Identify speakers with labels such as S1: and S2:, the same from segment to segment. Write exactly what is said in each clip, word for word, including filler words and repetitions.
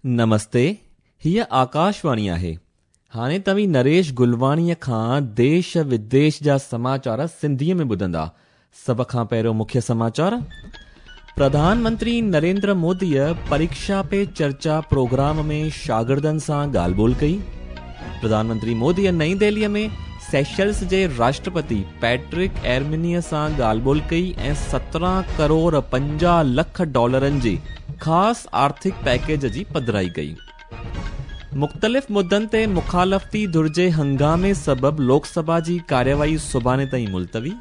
S1: نمستي، هيء آڪاشواڻي آهي. هاڻي توهين نريش گلواڻيء کان ديش وديش جا سماچار سنڌيء ۾ ٻڌندا. سڀ کان پهريون مکيه سماچار. پرڌان منتري نريندر موديء پريڪشا پي چرچا پروگرام ۾ شاگردن سان ڳالهه ٻولهه ڪئي. پرڌان منتري موديء نئين دهليء ۾ سيشلز جي راشٽرپتي پيٽرڪ ايرمنيء سان ڳالهه ٻولهه ڪئي ۽ سترهن ڪروڙ پنجاهه لک ڊالرن جي خاص آرٿڪ پيڪيج جي پڌرائي ڪئي. مختلف مدن تي مخالفتي ڌر جي هنگامي سبب لوڪ سڀا جي ڪارروائي سڀاڻي تائين ملتوي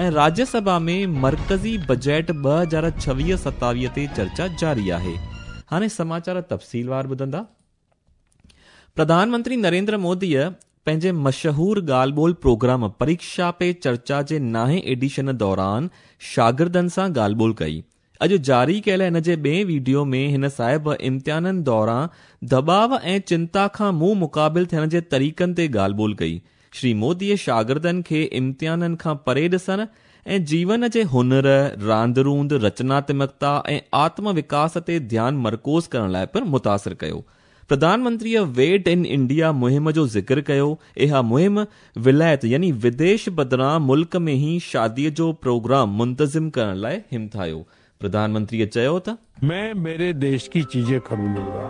S1: ۽ راجيه سڀا ۾ مرڪزي بجيٽ ٻه هزار ڇويهه ستاويهه تي چرچا جاري آهي. هاڻي سماچار تفصيلوار ٻڌندا. پرڌان منتري نريندر موديء پنهنجي مشهور ڳالهه ٻولهه پروگرام پريڪشا پي چرچا جي نائين ايڊيشن دوران شاگردن سان ڳالهه ٻولهه ڪئي. اڄ جاري ڪيل هن جي ٻئي وڊيو ۾ هن صاحب امتحانن دوران دٻاءُ ۽ چنتا کان منهن مقابل ٿيڻ جي طريقن تي ڳالهه ٻولهه ڪئي. شري موديء شاگردن کي امتحانن کان پري ڏسڻ ۽ جيون جي هنر، راند روند، رچناتمڪتا ۽ آتم وڪاس تي ڌيان مرڪوز ڪرڻ لاءِ پڻ متاثر ڪيو. پرڌان منتريء ويڊ ان انڊيا مهم جو ذڪر ڪيو. اها مهم ولايت يعني وديش بدران ملڪ ۾ ئي شاديءَ جو پروگرام منتظم ڪرڻ لاءِ همٿايو. پرڌان منتريء چيو ته
S2: मैं मेरे देश की चीजें खरीदूंगा,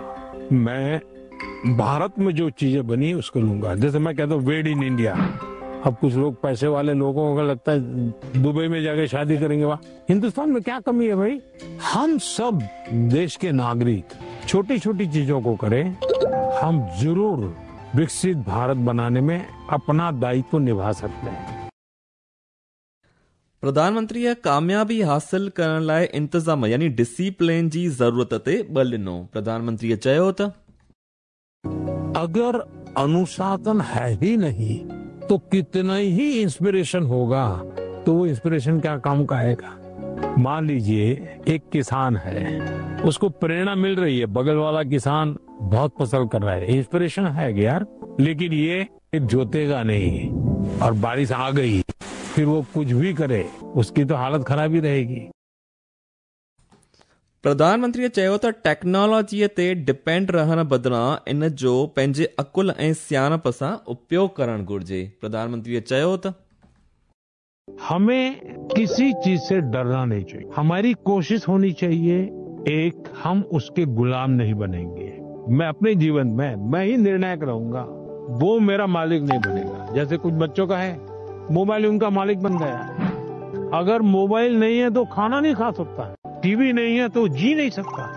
S2: मैं भारत में जो चीजें बनी उसको लूंगा. जैसे मैं कहता हूँ वेड इन इंडिया. अब कुछ लोग पैसे वाले लोगों को लगता है दुबई में जाके शादी करेंगे. वहाँ हिंदुस्तान में क्या कमी है भाई? हम सब देश के नागरिक छोटी छोटी चीजों को करें, हम जरूर विकसित भारत बनाने में अपना दायित्व निभा सकते हैं.
S1: प्रधान मंत्रीअ कामयाबी हासिल करण लाइ इंतज़ाम यानी डिसिप्लिन जी ज़रूरत ते बल ॾिनो. प्रधान मंत्रीअ चयो त
S2: अगर अनुशासन है ही नहीं तो कितना ही इंस्पिरेशन होगा तो वो इंस्पिरेशन क्या काम का आएगा. मान लीजिए एक किसान है, उसको प्रेरणा मिल रही है, बगल वाला किसान बहुत फसल कर रहा है, इंस्पिरेशन है यार, लेकिन ये जोतेगा नहीं और बारिश आ गई, फिर वो कुछ भी करे उसकी तो हालत खराब ही रहेगी.
S1: प्रधान मंत्रीअ चयो त टेक्नोलॉजीअ ते डिपेंड रहण बदिरां इन जो पंहिंजे अकुल ऐं सियाणप सां उपयोग करणु घुरिजे. प्रधान मंत्रीअ चयो त
S2: हमें किसी चीज से डरना नहीं चाहिए. हमारी कोशिश होनी चाहिए एक, हम उसके गुलाम नहीं बनेंगे. मैं अपने जीवन में मैं ही निर्णायक रहूंगा, वो मेरा मालिक नहीं बनेगा. जैसे कुछ बच्चों का है, मोबाइल उनका मालिक बन गया है. अगर मोबाइल नहीं है तो खाना नहीं खा सकता, टीवी नहीं है तो जी नहीं सकता.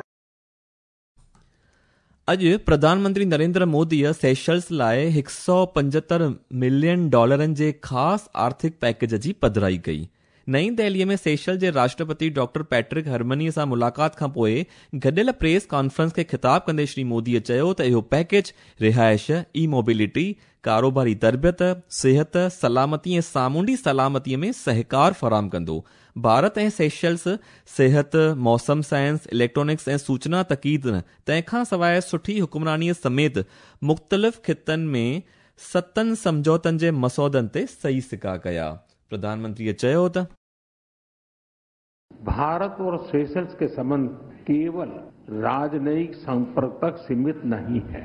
S1: अॼु प्रधानमंत्री नरेंद्र मोदीअ सेशल्स लाइ हिकु सौ पंजहतरि मिलियन डॉलरनि जे ख़ासि आर्थिक पैकेज जी पधराई कई. नई दिल्लीअ में सेशल जे राष्ट्रपति डॉक्टर पैट्रिक हरमनीअ सां मुलाक़ात खां पोइ गॾियल प्रेस कॉन्फ्रेंस खे ख़िताब कंदे श्री मोदीअ चयो त इहो पैकेज रिहाइश, ई मोबिलिटी, कारोबारी तरबियत, सिहत, सलामती ऐं सामुंडी सलामतीअ में सहकार फराहम कंदो. भारत ऐं सेशल्स सिहत, मौसम साइंस, इलेक्ट्रॉनिक्स ऐं सूचना तकनीक तंहिंखां सवाइ सुठी हुकुमरानीअ समेत मुख़्तलिफ़ ख़ितनि में सतनि सम्झौतनि जे मसौदनि ते सही सिका कया. प्रधानमंत्रीअ चयो त
S2: भारत और सेशल्स के संबंध केवल राजनयिक संपर्क तक सीमित नहीं है.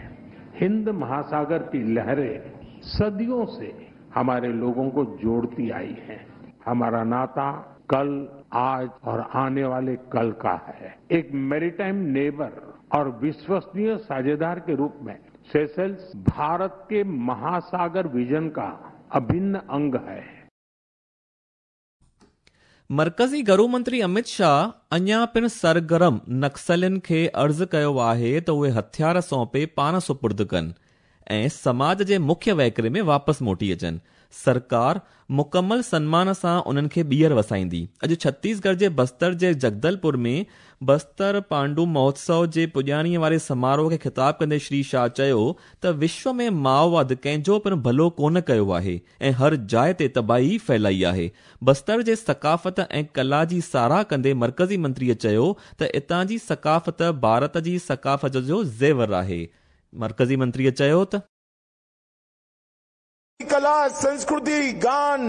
S2: हिंद महासागर की लहरें सदियों से हमारे लोगों को जोड़ती आई हैं. हमारा नाता कल, आज और आने वाले कल का है. एक मैरीटाइम नेबर और विश्वसनीय साझेदार के रूप में सेशल्स भारत के महासागर विजन का अभिन्न अंग है.
S1: मर्कज़ी घरू मंत्री अमित शाह अञा पिणु सरगर्म नक्सलियुनि खे अर्ज़ु कयो आहे त उहे हथियार सौंपे पाण सुपुर्द कनि ऐं समाज जे मुख्य वहिकरे में वापसि मोटी अचनि. सरकार मुकमल सनमान सां उन्हनि खे ॿीहर वसाईंदी. अॼु छत्तीसगढ़ जे बस्तर जे जगदलपुर में बस्तर पांडु महोत्सव जे पुॼाणीअ वारे समारोह खे ख़िताब कंदे श्री शाह चयो त विश्व में माओवाद कंहिंजो पिणु भलो कोन कयो आहे ऐं हर जाइ ते तबाही फैलाई आहे. बस्तर जे सकाफ़त ऐं कला जी साराह कंदे मर्कज़ी मंत्रीअ चयो त हितां जी सकाफ़त भारत जी सकाफ़त जो ज़ेवर आहे. मर्कज़ी मंत्रीअ चयो त
S3: कला, संस्कृति, गान,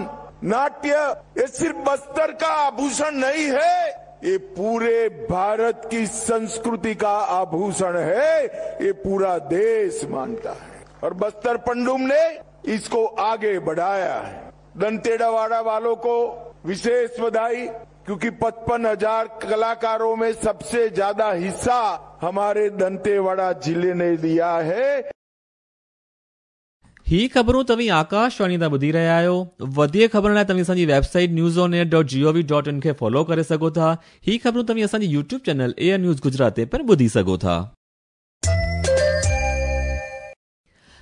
S3: नाट्य ये सिर्फ बस्तर का आभूषण नहीं है, ये पूरे भारत की संस्कृति का आभूषण है, ये पूरा देश मानता है। और बस्तर पंडुम ने इसको आगे बढ़ाया है। दंतेवाड़ा वालों को विशेष बधाई, क्योंकि पचपन हजार कलाकारों में सबसे ज्यादा हिस्सा हमारे दंतेवाड़ा जिले ने लिया है।
S1: ही ख़बरूं तव्हीं आकाशवाणी तां ॿुधी रहिया आहियो। वधीक ख़बरुनि लाइ तव्हीं असांजी website news on air dot G O V dot in खे फॉलो करे सघो था। ही ख़बरूं तव्हीं असांजी YouTube channel A I news Gujarat ते पिणु ॿुधी सघो था।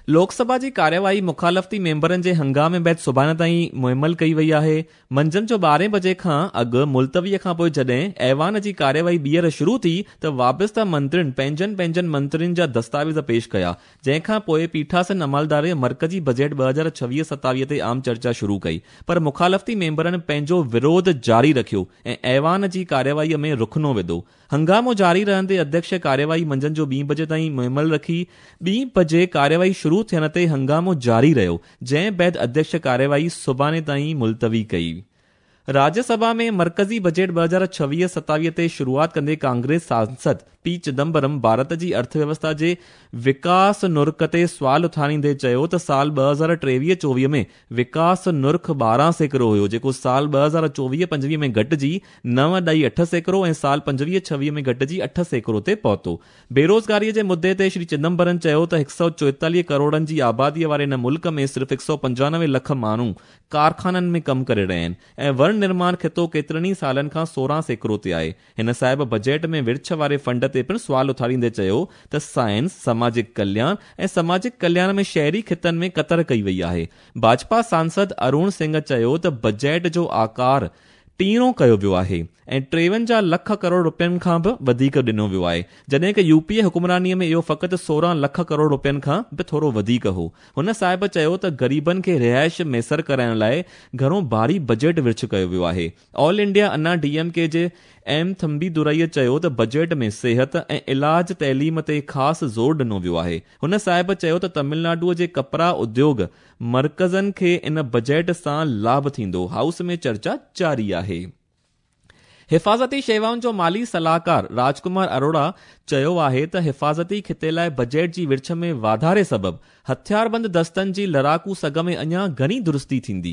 S1: लोकसभा जी कार्यवाही मुखालफ़ती मेंबरनि जे हंगामे बाद सुभाणे ताईं मुहमल कई वई आहे। मंझंदि जो ॿारहें बजे खां अॻु मुलतवीअ खां पोइ जॾहिं ऐवान जी कार्यवाही ॿीहर शुरू थी त वाबिस्ता मंत्रियुनि पंहिंजनि पंहिंजनि मंत्रियुनि जा दस्तावेज़ पेश कया, जंहिंखां पोइ पीठासन अमलदार मर्कज़ी बजट ॿ हज़ार छवीह सतावीह ते आम चर्चा शुरू कई, पर मुखालफ़ती मेंबरनि पंहिंजो विरोध जारी रखियो ऐं ऐवान जी कार्यवाहीअ में रुखनो विधो। हंगामो जारी रहंदे अध्यक्ष कार्यवाही मंझंदि जो ॿी बजे ताईं मुहमल रखी। ॿी बजे कार्यवाही शुरू थियण ते हंगामो जारी रहियो, जंहिं बाद अध्यक्ष कार्यवाही सुभाणे ताईं मुलतवी कई। राज्यसभा में मर्कज़ी बजट ॿ हज़ार छवीह सतावीह ते शुरूआत कंदे कांग्रेस सांसद पी चिदम्बरम भारत जी अर्थव्यवस्था जे विकास नुर्ख ते सवाल उथारींदे चयो त साल ॿ हज़ार टेवीह चोवीह में विकास नुर्ख ॿारहं सैकड़ो हुयो, जेको साल ॿ हज़ार चोवीह पंजवीह में घटिजी नव ॾाई अठ सैकड़ो ऐं साल पंजवीह छवीह में घटिजी अठ सैकड़ो ते पहुतो। बेरोज़गारीअ जे मुद्दे ते श्री चिदम्बरम चयो त हिकु सौ चोएतालीह करोड़नि जी आबादीअ वारे हिन मुल्क में सिर्फ़ हिकु सौ पंजानवे लख माण्हू कारखाननि में कमु करे रहिया आहिनि ऐं वण निर्माण खितो केतिरनि ई सालनि खां सोरहं सैकड़ो ते आहे। हिन साहिब बजट में विर्छ वारे फंड ते पिणु सवाल उथारींदे चयो त साइंस, सामाजिक कल्याण ऐं सामाजिक कल्याण में शहरी खितनि में कतर कई वई आहे। भाजपा सांसद अरुण सिंह चयो त बजट जो आकार टीणो कयो वियो आहे ऐं टेवंजाह लख करोड़ रुपयनि खां बि वधीक ॾिनो वियो आहे, जॾहिं की यूपीए हुकुमरानीअ में इहो फ़क़ति सोरहं लख करोड़ रुपयनि खां बि थोरो वधीक हो। हुन साहिब चयो त ग़रीबनि खे रिहाइश मयसर कराइण लाइ घणो भारी बजट विर्छ कयो वियो आहे। All India Anna D M K जे एम थम्बी दुरईअ चयो त बजट में सिहत ऐं इलाज तइलीम ते ख़ासि ज़ोर ॾिनो वियो आहे। हुन साहिब चयो त तमिलनाडुअ जे कपड़ा उद्योग मर्कज़नि खे इन बजट सां लाभ थींदो। हाउस में चर्चा जारी आहे। हिफाज़ती शेवाउनि जो माली सलाहकार राजकुमार अरोड़ा चयो आहे त हिफाज़ती खिते लाइ बजट जी विर्छ में वाधारे सबबु हथियारबंद दस्तनि जी लड़ाकू सघ में अञा घणी दुरुस्ती थींदी,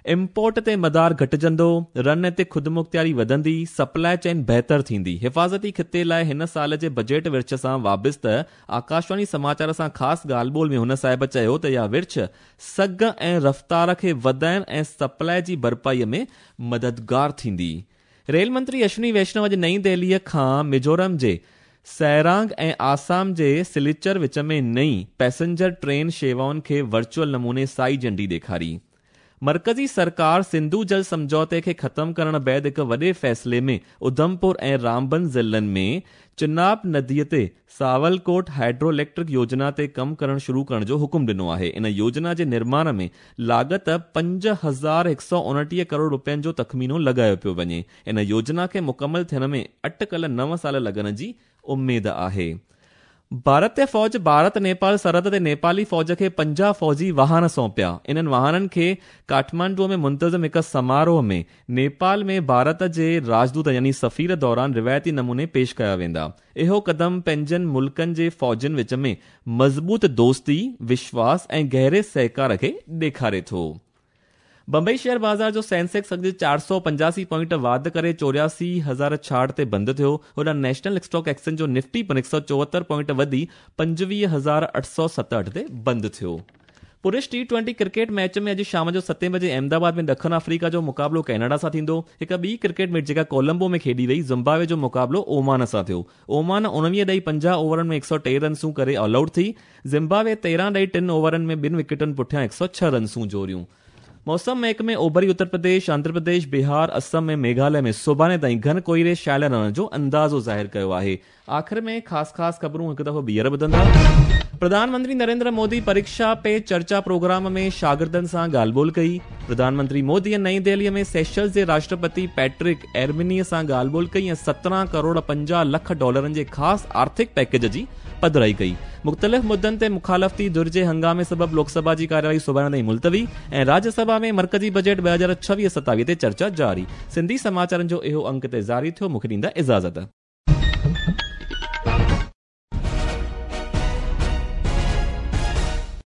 S1: इम्पोर्ट ते मदार घटिजंदो, रन ते ख़ुदमुख़्तियारी वधंदी, सप्लाई चेन बहितर थींदी। हिफाज़ती खिते लाइ हिन साल जे बजट विर्छ सां वाबिस्त आकाशवाणी समाचार सां ख़ासि ॻाल्हि ॿोल में हुन साहिब चयो त इहा विर्छ सघ ऐं रफ़्तार खे वधाइण ऐं सप्लाई जी भरपाईअ में मददगार थींदी। रेल मंत्री अश्विनी वैष्णव अॼु नई दिल्लीअ खां मिज़ोरम जे सैरांग ऐं आसाम जे सिलचर विच में नई पैसेंजर ट्रेन शेवाउनि खे वर्चुअल नमूने साई झंडी ॾेखारी। मर्कज़ी सरकार सिंधु जल समझौते खे ख़त्म करण बाद हिकु वॾे फ़ैसिले में उधमपुर ऐं रामबन ज़िलनि में चिनाब नदीअ ते सावलकोट हाइड्रो इलेक्ट्रिक योजना ते कमु करण शुरू करण जो हुकुम ॾिनो आहे। इन योजना जे निर्माण में लागत पंज हज़ार हिकु सौ उणटीह करोड़ रुपयनि जो तख़मीनो लॻायो पियो वञे। इन योजना खे मुकमल थियण में अटकल नव साल लॻण जी उमेद आहे। भारतीय फ़ौज भारत नेपाल सरहद ते नेपाली फ़ौज खे पंजाह फ़ौजी वाहन सौंपिया। इन्हनि वाहननि खे काठमांडू में मुंतज़िम हिकु समारोह में नेपाल में भारत जे राजदूत यानी सफ़ीर दौरान रिवायती नमूने पेश कया वेंदा। इहो क़दम पंहिंजनि मुल्कनि जे फ़ौजनि विच में मज़बूत दोस्ती, विश्वास ऐं गहरे सहकार खे ॾेखारे थो। बंबई शेयर बाज़ार जो सेंसेक्स अॼु चारि सौ पंजासी पॉइंट वाध करे चोरासी हज़ार छाहठि ते बंदि थियो। होॾां नेशनल स्टॉक एक्सचेंज जो निफ्टी पिणु हिकु सौ चोहतरि पॉइंट वधी पंजवीह हज़ार अठ सौ सतहठि ते बंदि थियो। पुरुष टी ट्वेंटी क्रिकेट मैच में अॼु शाम जो सतें बजे अहमदाबाद में ॾखिण अफ्रीका जो मुक़ाबिलो कैनेडा सां थींदो। हिकु ॿी क्रिकेट मैच जेका कोलंबो में खेॾी वई, ज़िम्बाब्वे जो मुक़ाबिलो ओमान सां थियो। ओमान उणिवीह ॾेई पंजाह ओवरनि में हिकु सौ टे रनसूं करे ऑल आउट थी। ज़िम्बाब्वे तेरहं ॾेई टिनि ओवरनि में ॿिनि विकेटनि पुठियां हिकु सौ छह रनसूं जोड़ियूं। मौसम महकमे ओभरी उत्तर प्रदेश, आंध्र प्रदेश, बिहार, असम ऐं मेघालय में सुभाणे ताईं घन कोहिरे छायल रहण जो अंदाज़ो ज़ाहिर कयो आहे। आख़िर में ख़ासि ख़ासि ख़बरूं हिकु दफ़ो ॿीहर ॿुधंदा। प्रधानमंत्री नरेंद्र मोदी परीक्षा पे चर्चा प्रोग्राम में शागिर्दनि सां ॻाल्हि ॿोल कई। प्रधानमंत्री मोदीअ नई दिल्लीअ में सेशल्स जे राष्ट्रपति पैट्रिक एर्मिनी सां ॻाल्हि ॿोल कई ऐं सत्रहं करोड़ पंजाह लख डॉलरनि जे ख़ासि आर्थिक पैकेज जी पधराई कई। मुख़्तलिफ़ मुद्दनि ते मुखालफ़ती धुर जे हंगामे सबबि लोकसभा जी कार्यवाही सुभाणे ताईं मुलतवी ऐं राज्यसभा में मर्कज़ी बजट ॿ हज़ार छवीह सतावीह ते चर्चा जारी। सिंधी समाचारनि जो इहो अंक ते जारी थियो। मूंखे ॾींदा इजाज़त।